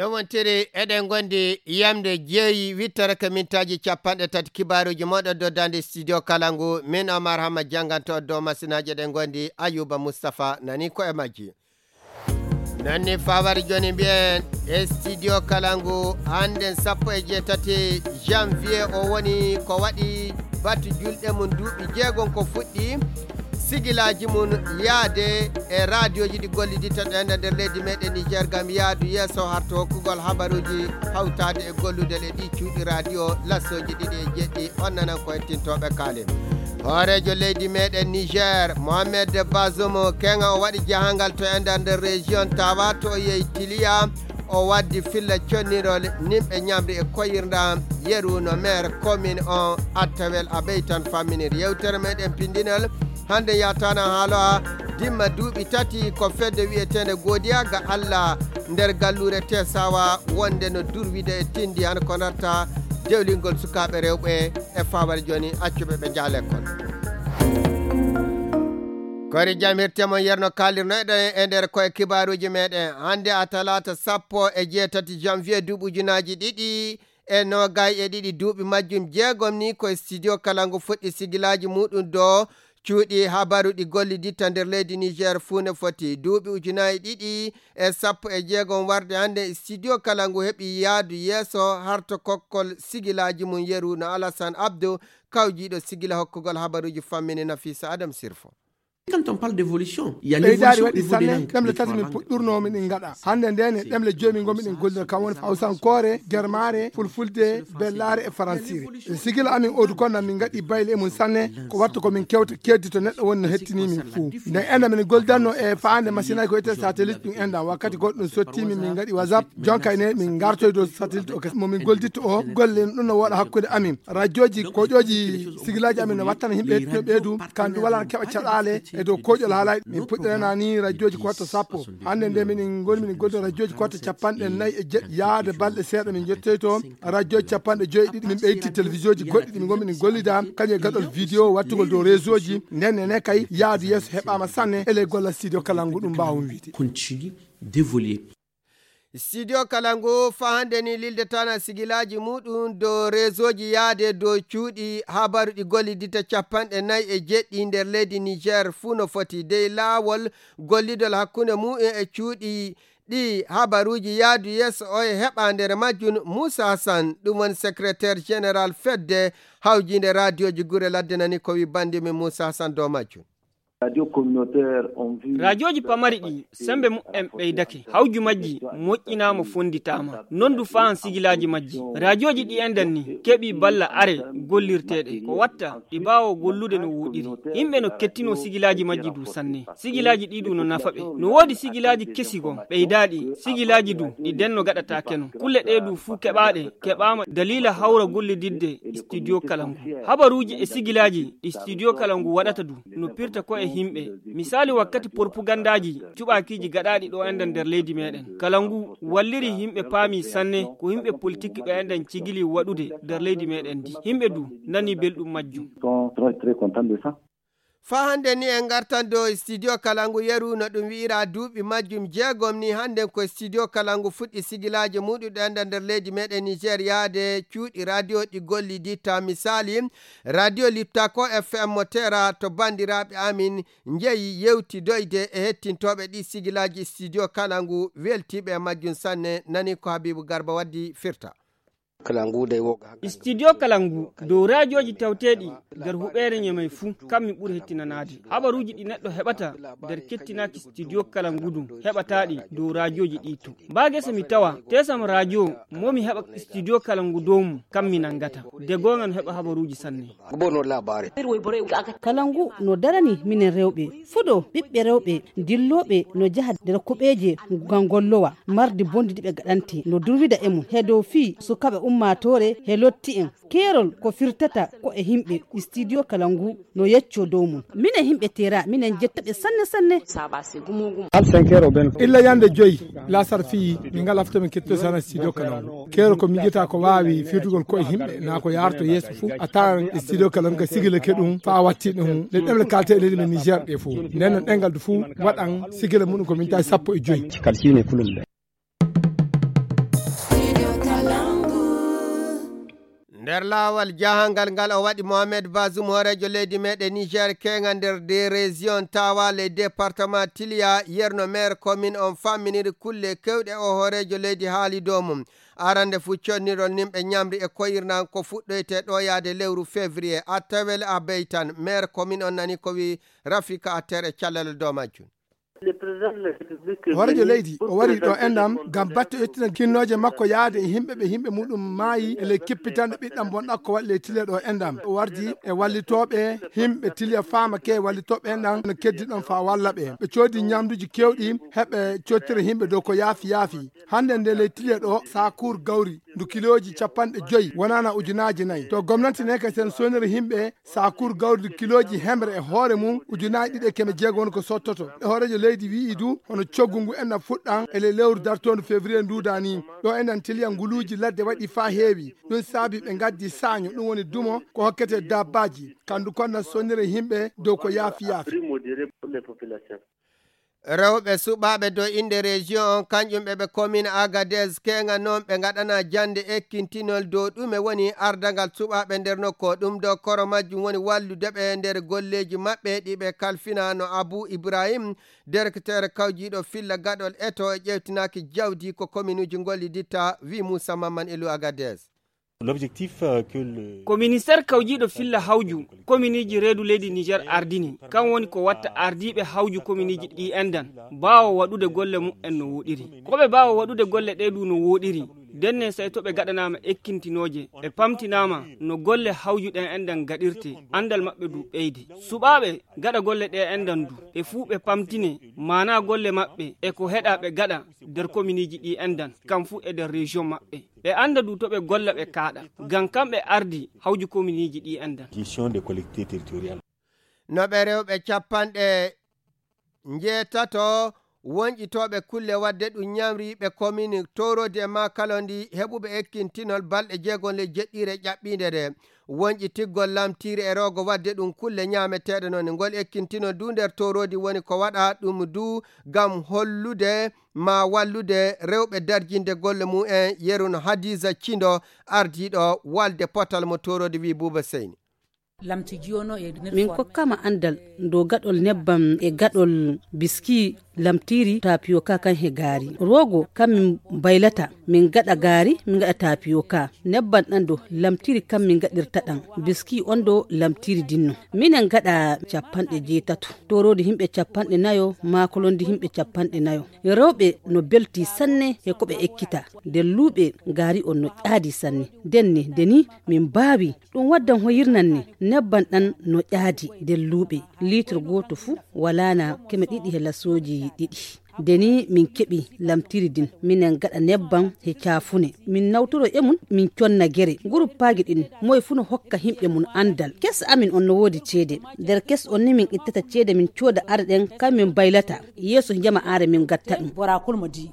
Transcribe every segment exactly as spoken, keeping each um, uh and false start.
Ɗum wontiri eɗen ngondi yamde jeeyi wittoro ko mintaaji capanɗe tati kibaaruuji mooɗon dow daande studio kala ngu. Min Omar Hamma jannganto dow masinaaji eɗen ngondi Ayuba Mustapha nani ko e majji. Nanni fawari jooni mbiyen e studio kala ngu hannden sappo e jeetati janvier o woni ko waɗi batu julɗe mum duuɓi jeegom ko fuɗɗi sigilaaji mum yaade e raadiyooji ɗi gollidita ɗen e nder leydi meɗen Niger ngam yaadu yeeso harto hokkugol habaruuji hawtaade e gollude e ɗi cuuɗi raadiyo lassooji ɗiɗi e jeɗɗi. On nanan ko hettintooɓe kaale. Hooreejo leydi meɗen Niger Mohamed Bazoum keŋa o waɗi jahangal to e nder nder région Tawa to o yehi Tiliya. O waddi filla connirol nimɓe ñamri e koyirɗam yeru no maire commune on Attawel Abey tan famminir yewtere meɗen pindinol. Hannde yataana haaloa dimma duuɓi tati ko fedde wiyeteende Godiya ga Alla nder galluure Tesawa wonde no durwide e tindi han ko narta dewlingol sukaaɓe rewɓe e fawar jooni accuɓe ɓe njaha lekkol. Kori jam hirte mon yerno kaalirnoyɗen e nder koye kibaaruuji meɗen hannde a talaata sappo e jeetati janvier duuɓi ujunaaji ɗiɗi e noogay e ɗiɗi duuɓi majjum jeegom ni koye studio kala ngu fuɗɗi sigilaaji muɗum do cuuɗi habaru ɗi golliditta nder leydi Niger fuu ne foti duuɓi ujunaaji ɗiɗi e sappo e jeegom warde hannde studio kala ngu heɓi yaadu yeeso harto kokkol sigilaaji mum yeru no Alassane Abdou kawjiiɗo sigila hokkugol habaruuji fammini Nafisa Adam Sirfo. Quand on parle d'évolution, il y a ɓeydaari l'évolution au waɗi niveau des sanne langues. Ɗemle tati min puɗɗurno miɗen ngaɗa hannde nde ne ɗemle joyi min ngonmi ɗen gollira kam woni hawsankoore germaare fulfulde bellaare e faransire. E sigila amin odu kon nan min ngaɗi bayle e mum sanne ko watta ko min kewta keddi to neɗɗo woni no hettini min fuu nden enda min goldanno e faande masinaji ko wiyete satellite ɗum enda wakkati goɗɗo ɗum sottimi min ngaɗi whatsapp jonka ene min ngartoy dow satellite o mo min golditto o golle ɗum no woɗa hakkude amin radioji koƴoji sigilaji amin no wattana yimɓe hettino ɓeydu kam ɗum wala keɓa caɗale e dow koƴol haalaji min puɗɗirana ni radioji ko watta sappo hannde nde minen ngoni minen goldo radioji ko watta capanɗe nayi e jeɗɗi yaade balɗe seeɗa min jettoyto radioji capanɗe joyi ɗiɗi min ɓeyti télévision ji goɗɗi ɗi min ngonmi min gollida kañum e gaɗol vidéo wattugol dow réseau ji nden nene kay yaadu yeeso heɓama sanne e ley golla studio kala ngu ɗum mbawmi wiide. Continue d'évoluer. Studio kala ngu fahande ni lildetana sigilaaji muɗum dow réseau ji yaade dow cuuɗi habaru ɗi gollidita capanɗe nayi e jeɗɗi nder leydi Niger fuu no foti dey laawol gollidol hakkunde mu'en e cuuɗi ɗi habaruuji yaadu yeeso o e heɓa nder majjum Muusa Hassan ɗum woni secrétaire général fedde hawjiinde raadiyoji gure ladde nani ko wi bandi min Muusa Hassan dow majjum. Raadiyoji pamari ɗi sembe mu'en ɓeydake hawju majji moƴƴinaama fonditaama non du faan sigilaaji majji raadiyoji ɗi enɗen ni keɓi balla are gollirteeɗe ko watta ɗi mbaawa gollude no wooɗiri yimɓe no kettino sigilaaji majji du sanne sigilaaji ɗi du no nafa ɓe no woodi sigilaaji kesi goo ɓeydaaɗi sigilaaji du ɗi denno gaɗataake no kulle ɗe du fuu keɓaaɗe keɓaama daliila hawra gollididde studio kala ngu habaruuji e sigilaaji ɗi studio kala ngu waɗata du no pirta ko e yimɓe misaali wakkati porpugandaaji cuɓaakiiji gaɗaaɗi ɗo enɗen nder leydi meɗen kala ngu walliri yimɓe paami sanne ko yimɓe politik ɓe enɗen cigili waɗude nder leydi meɗen ndi yimɓe du nani belɗum majjum. Faa hannde ni en ngartan dow studio kala ngu yeru no ɗum wi'ira duuɓi majjum jeegom ni hannden ko studio kala ngu fuɗɗi sigilaaji muɗuɗe enda nder leydi meɗen Niger yaade cuuɗi radio ɗi golliditta misaali radio liptako F M mo tera to banndiraaɓe amin njeyi yewtidoyde e hettintooɓe ɗi sigilaaji studio kala ngu weltiiɓe e majjum sanne nani ko Habibu Garba waddi firta. Studio kala ngu dow raajooji tawteeɗi nder huɓeere ñemey fuu kam mi ɓuri hettinanaade habaruuji ɗi neɗɗo heɓata nder kettinaaki studio kala ngu ɗum heɓataaɗi dow raajooji ɗi to mbaa gese mi tawa tesam raajoo mo mi heɓa studio kala ngu dow mum kam mi nanngata de goonga no heɓa habaruuji sanne. Kala ngu no darani minen rewɓe fuɗo ɓiɓɓe rewɓe dillooɓe no njaha nder kuɓeeje ngam ngollowa marde bonndi ndi ɓe gaɗante no durwida e mum he dow fii sukaaɓe ummaatoore he lotti en keerol ko firtata ko e yimɓe studio kala ngu no yeccoo dow mum minen yimɓe tera minen njettaɓe sanne sanne. Illa yande joyi lasar fii min ngalaa fof to min ketto sana studio kala ngu keerol ko miijata ko waawi firtugol koye yimɓe naa ko yaarto yeeso fof a tawan e studio kala ngu ka sigilake ɗum faa watti ɗum ɗe ɗemle kalte e leydi men Niger ɗe fof nden no ɗengal du fof waɗan sigila muɗum ko mintaji sappo e joyi. Nder laawol jahangal ngal o waɗi, Mohamed Bazoum, hooreejo leydi meɗen Niger, keeŋa nder des régions tawa les départements Tiliya, yerno maire commune on famminiri kulle kewɗe o hooreejo leydi haali dow mum. Arande fuu connirol nimɓe ñamri e koyirnan ko fuɗɗoyte ɗo yaade lewru février. Attawel a beytan, maire commune on nani ko wi Rafika Atter e callal dow majjum. Hooreejo leydi o wari ɗo enɗam ngam batte ƴettude kinnooje makko yaade e yimɓe ɓe yimɓe muɗum maayi e ley kippitanɗe ɓiɗɗam bonɗam ko waɗi ley Tiliya ɗo enɗam. O wardi e wallitooɓe yimɓe Tiliya faama ke wallitooɓe enɗam no keddi ɗon faa walla ɓe. Ɓe coodi ñamduuji keewɗi heɓe cottira yimɓe dow ko yaafi yaafi. Hannde nde ley Tiliya ɗo saakuur gawri ndu kilooji capanɗe joyi wonana ujunaaji nayi. To gomnati ne kadi sen soniri yimɓe saakuur gawri ndu kilooji hemre e hoore mum ujunaaji ɗiɗi e keme jeego woni ko sottoto. E hooreejo leydi wi'i du hono coggu ngu enɗam fuɗɗan e ley lewru dartoondu février nduuda ni. Ɗo enɗam Tiliya nguluuji ladde waɗi faa heewi. Ɗum saabi ɓe ngaddi saaño, ɗum woni dumo ko hokkete dabbaaji. Kandu kon na sonire yimɓe dow ko yaafi yaafi. Rewɓe suɓaaɓe dow innde région on, kañƴum ɓe ɓe commune Agadez keeŋa noon ɓe ngaɗana jannde ekkintinol dow ɗume woni ardangal suɓaaɓe nder nokku o. Ɗum dow koro majjum woni wallude ɓe nder golleeji maɓɓe ɗi ɓe kalfina no Abu Ibrahim, directeur kawjiiɗo filla gaɗol eto e ƴeewtinaaki jawdi ko kominuuji ngolliditta, wi Moussa Mamman Elou Agadez. L'objectif, euh, que le Ko ministeer kawjiiɗo filla hawju kominiiji reedu leydi Niger ardini, kan woni ko watta ardiiɓe hawju kominiiji ɗi enɗan baawo waɗude golle mumen no wooɗiri. Ko ɓe baawo waɗude golle ɗe du no wooɗiri, denne sey to ɓe gaɗanaama ekkintinooje, ɓe pamtinaama no golle hawju ɗen enɗan gaɗirte, anndal maɓɓe du ɓeydi. Suɓaaɓe gaɗa golle ɗe enɗan du, ɓe fuu ɓe pamtine maanaa golle maɓɓe e ko heɗa ɓe gaɗa nder kominiiji ɗi enɗan, kam fuu e nder région maɓɓe. Ɓe annda du to ɓe golla ɓe kaaɗa, ngam kamɓe ardi hawju kominiiji ɗi enɗan. Gestion des collectivités territoriales. No ɓe rewɓe capanɗe njeetato wonƴitooɓe kulle waɗde ɗum ñamri ɓe komini Torodi e Makalondi heɓuɓe ekkintinol balɗe jeegon ley jeɗɗiire ƴaɓɓiinde nde. Wonƴitigol lamtiiri e roogo waɗde ɗum kulle ñaameteeɗe noon. Ngol ekkintinol du nder Torodi woni ko waɗa ɗum du ngam hollude ma wallude rewɓe darjinde golle mum en. Yeru no Hadiza Cindo, ardiiɗo walde potal mo Torodi, wi Buuba Seyni. Min kokkama anndal dow gaɗol nebbam e gaɗol biski lamtiiri tapioka kan he gaari. Roogo kam min baylata, min gaɗa gaari, min gaɗa tapioka. Nebbam ɗan dow lamtiiri kam min gaɗirta ɗan. Biski on dow lamtiiri dinno. Minen gaɗa capanɗe jeetato. Toroodi himɓe capanɗe nayo, maakolondi himɓe capanɗe nayo. Rewɓe no belti sanne he ko ɓe ekkita. Nder luuɓe gaari on no ƴaadi sanne. Denne, deni min baawi. Ɗum waddan hoyirnan ne, nebban ɗan no ƴaadi nder luuɓe. Liitre gooto fuu walaana keme ɗiɗi he lasooji ɗiɗi. Nde ni min keɓi lamtiri din, minen gaɗa nebban he caafune. Min nawtoro e mun, min conna gere. Guruppaaji ɗin, moye fuu no hokka himɓe mun anndal. Kes amin on no woodi ceede. Nder kes on ni min ittata ceede min cooda are ɗen, kan min baylata. Yeeso jama are min gatta ɗum. Bora kulmo di.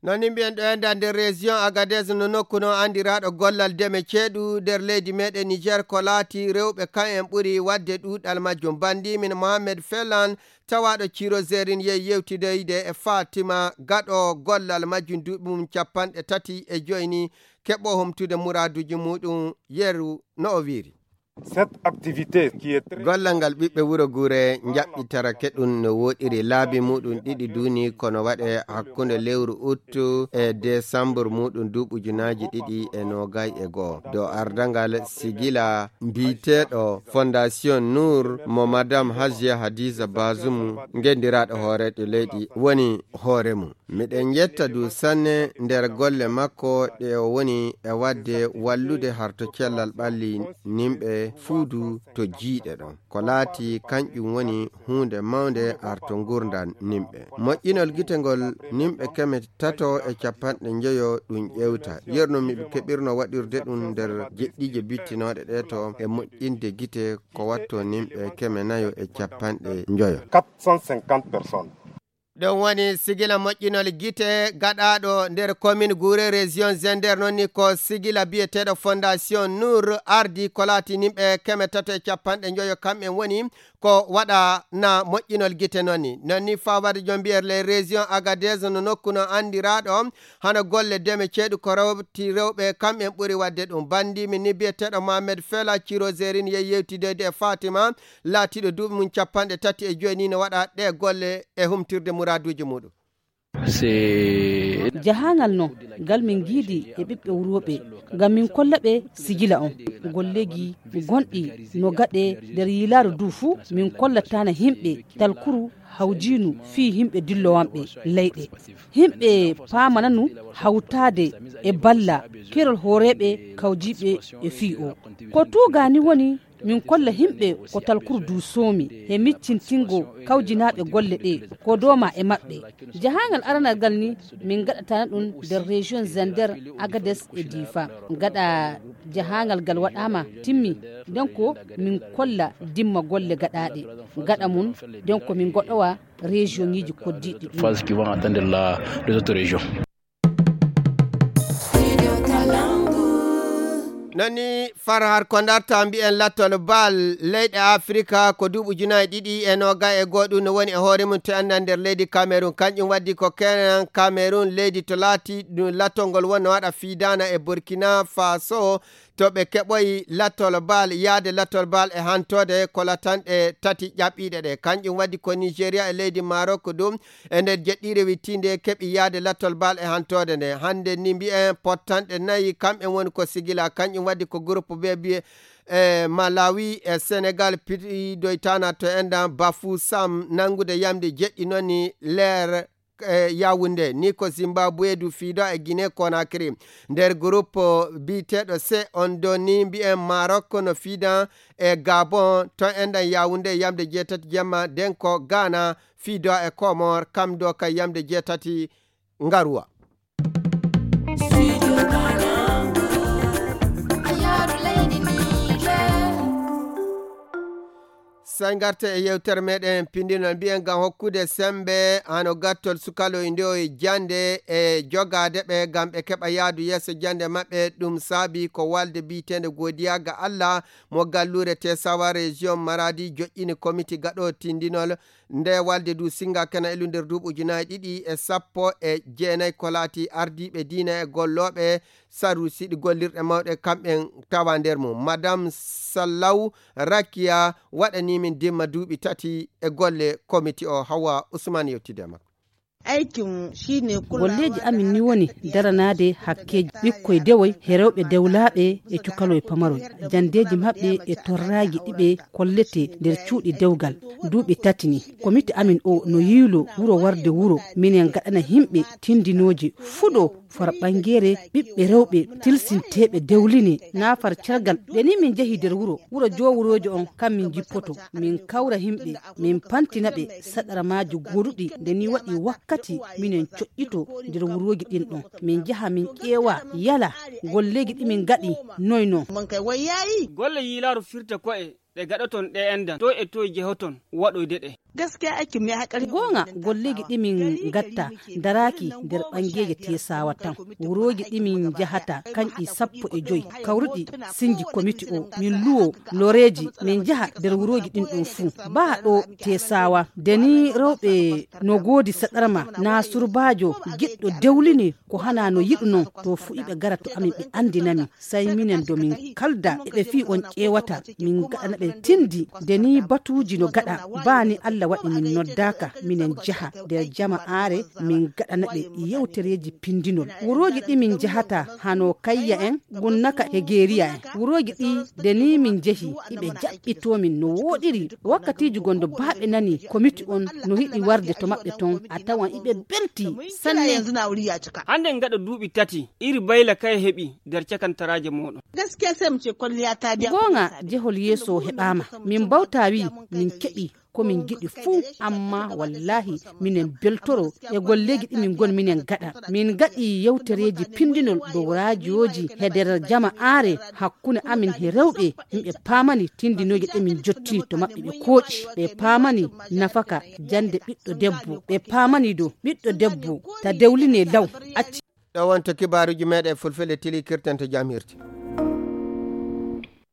No ni mbiyen ɗo e nder, nder région Agadez no nokku no anndiraaɗo gollal deme ceeɗu nder leydi meɗen Niger, ko laati rewɓe kan en ɓuri wadde ɗuuɗal majjum. Bandi min Mohamed Felan, tawaaɗo Ciro Zerin, yehi yewtidoyde e Fatima gaɗo gollal majjum duuɓi mum capanɗe tati e joyi ni, keɓo humtude muraaduji muɗum yeru no o wiiri. Cette activité qui est très Gollal ngal ɓiɓɓe wuro Gure njaɓɓitara keɗum no woɗiri laabi muɗum ɗiɗi duuni kono waɗe hakkunde lewru ut e desambur muɗum duuɓi ujunaaji ɗiɗi e noogay e go'o. Dow ardangal sigila mbiyeteeɗo Fondation Nour mo Madame Hajiya Hadiza Bazum, ngenndiraaɗo hooreejo leydi, woni hoore mum. Miɗen njetta du sanne nder golle makko ɗe o woni e waɗde wallude harto cellal ɓalli nimɓe fuu du to jiiɗe ɗon. Ko laati kanƴum woni huunde mawnde harto ngurndan nimɓe. Moƴƴinol gite ngol nimɓe keme tato e capanɗe njoyo ɗum ƴeewta. Yerno miɓe keɓirno waɗirde ɗum nder jeɗɗiije bittinooɗe ɗe to e moƴƴinde gite ko watto nimɓe keme nayo e capanɗe njoyo. Quatre cent cinquante personnes. Ɗum woni sigila moƴƴinol gite gaɗaaɗo nder commune Gure, région Zender. Noon ni ko sigila biyeteeɗo Fondation Nour, ardi ko laati nimɓe keme tato e capanɗe njoyo, kamɓe woni ko waɗa na moƴƴinol gite. Noon ni, noon ni fawade jombiyere les régions Agadez, no nokku no anndiraaɗo hano golle deme ceeɗu ko rewti rewɓe, kamɓe ɓuri waɗde ɗum. Banndimi ni biyeteeɗo Mohamed Fela Cirozerin yehi yewtidoyde e Fatima, laatiiɗo duuɓi mum capanɗe tati e joyi ni, no waɗa ɗe golle e humtirde muraaduuji muɗum. Jahangal no ngal min ngiidi e ɓiɓɓe wurooɓe, ngam min kolla ɓe sigila on golleeji gonɗi no gaɗe nder yiilaaru ndu fuu. Min kollatana himɓe talkuru hawjiinu fii himɓe dillowanɓe leyɗe. Himɓe paamananu hawtaade e balla kerol hooreeɓe kawjiiɓe e fii o. Ko tuugaani woni min kolla himɓe ko talkuru du soomi he miccintingo kawjinaaɓe golle ɗe ko dooma e maɓɓe. Jahaangal aranal ngal ni min gaɗatana ɗum nder région Zender, Agades e Difa. Gaɗa jahaangal ngal waɗaama timmi, nden ko min kolla dimma golle gaɗaaɗe. Gaɗa mum nden ko min goɗowa région ŋiji koddiiɗi ɗi. Nani far har ko darta mbiyen lattol bal leyɗe Afrika ko duuɓi ujunaaji ɗiɗi e noga e goo ɗum no woni e hoore mum to annda nder leydi Cameroun. Kanƴum waddi ko kenan Cameroun leydi to laati ɗum lattol ngol wonno waɗa fiidana e Burkina Faso to ɓe keɓoyi lattol bal, yaade lattol bal e hantode ko latanɗe tati ƴaɓɓiiɗe ɗe. Kanƴum waddi ko Nigeria e leydi Maroc ɗum e nder jeɗɗiire wittiinde keɓi yaade lattol bal e hantoode nde. Hannde ni mbiyen pottanɗe nayi kamɓe woni ko sigila, kanƴum waddi ko groupe B mbiye e Malawi e Senegal piɗidoytana to endan Bafu Sam nanngude yamde jeɗɗi noon ni leer e Yaoundé ni ko Zimbabwe du fiido e Guinée Conakry. Nder groupe biyeteeɗo C on do ni mbiyen Maroc no fiidan e Gabon to endan Yaoundé yamde jeetati jemma, nden ko Ghana fiido e Comores kam do kay yamde jeetati ngaruwa. Sey ngarte e yewtere meɗen pindinol mbiyen ngam hokkude sembe hano gattol sukaloy nde o e jande e jogaade ɓe ngam ɓe keɓa yaadu yeeso jande maɓɓe. Ɗum saabi ko walde biyeteende Godiya ga Allah mo galluure Tesawa région Maradi joƴƴini komiti gaɗo tindinol. Nde walde du singa kena ilu nder duuɓi ujunaaji ɗiɗi e sappo e jeenayi ko laati ardiiɓe diina e gollooɓe sarru siɗi gollirɗe mawɗe kamɓen tawa nder mum. Madame Sallaw Rakiya waɗani min dimma duuɓi tati e golle komiti o. Hawa Usman yewtide makko. Aikin shi ne kulawa. Golleeji amin ni woni daranaade hakkeeji ɓikkoy dewoy he rewɓe dewlaaɓe e cukaloy pamaroy, janndeeji maɓɓe e torraaji ɗi ɓe kolletee nder cuuɗi dewgal. Duuɓi tati ni, komiti amin o no yiilo wuro warde wuro, minen gaɗana himɓe tindinooji fuɗo far ɓangeere ɓiɓɓe rewɓe tilsinteeɓe dewline naa far cergal. Nde ni min njehi nder wuro, wuro joowuroojo on kam min njippoto, min kawra himɓe, min pantina ɓe saɗarmaaji goduɗi. Nde ni waɗi wakkati minen coƴƴito nder wurooji ɗin ɗon, min njaha min ƴeewa yala golleeji ɗi min ngaɗi noy non. Golle yiilaaru firta ko'e ɗe gaɗoton ɗe endan, toy e toy jehoton waɗoyde ɗe. Goonga, golleeji ɗi min ngatta daraaki nder ɓangeeje Tesawa tan. Wurooji ɗi min njahata kanƴi sappo e joy kawruɗi sinji komiti o, min luwo loreeji min njaha nder wurooji ɗin ɗon fuu. Baa ɗo Tesawa, nde ni rewɓe no goodi saɗarma naa surbaajo giɗɗo dewline ko hana no yiɗu non, to fuu iɓe gara to amin ɓe anndina min. Sey minen do min kalda e ɓe fii on ƴeewata, min ngaɗana ɓe tindi. Nde ni batuuji no gaɗa, baa ni Allah waɗi min noddaaka minen njaha nder jama'aare, min ngaɗana ɓe yewtereeji pindinol. Wurooji ɗi min njahata hano Kayya en, Gunnaka e Geeriya en. Wurooji ɗi nde ni min njehi, iɓe jaɓɓitoo min no wooɗiri. Wakkatiiji gondo baa ɓe nani komiti on no yiɗi warde to maɓɓe ton, a tawan iɓe belti sanne. Hande ngaɗa duuɓi tati iri bayla kay heɓi nder cakantaraaje mooɗon. Goonga, jehol yeeso heɓaama. Min mbawta wii min keɓi Komin ngiɗi fuu, amma wallaahi minen beltoro e golleeji ɗi min ngoni minen gaɗa. Min ngaɗi yewtereeji pindinol dow raajooji e nder jama aare hakkunde amin e rewɓe. Yimɓe paamani tindinooje ɗe min jottini to maɓɓe ɓe kooƴi. Ɓe paamani nafaka jannde ɓiɗɗo debbo. Ɓe paamani dow ɓiɗɗo debbo ta dewline law acci. Ɗo wonto kibaaruuji meeɗen fulfulde tili kirten to jam hirti.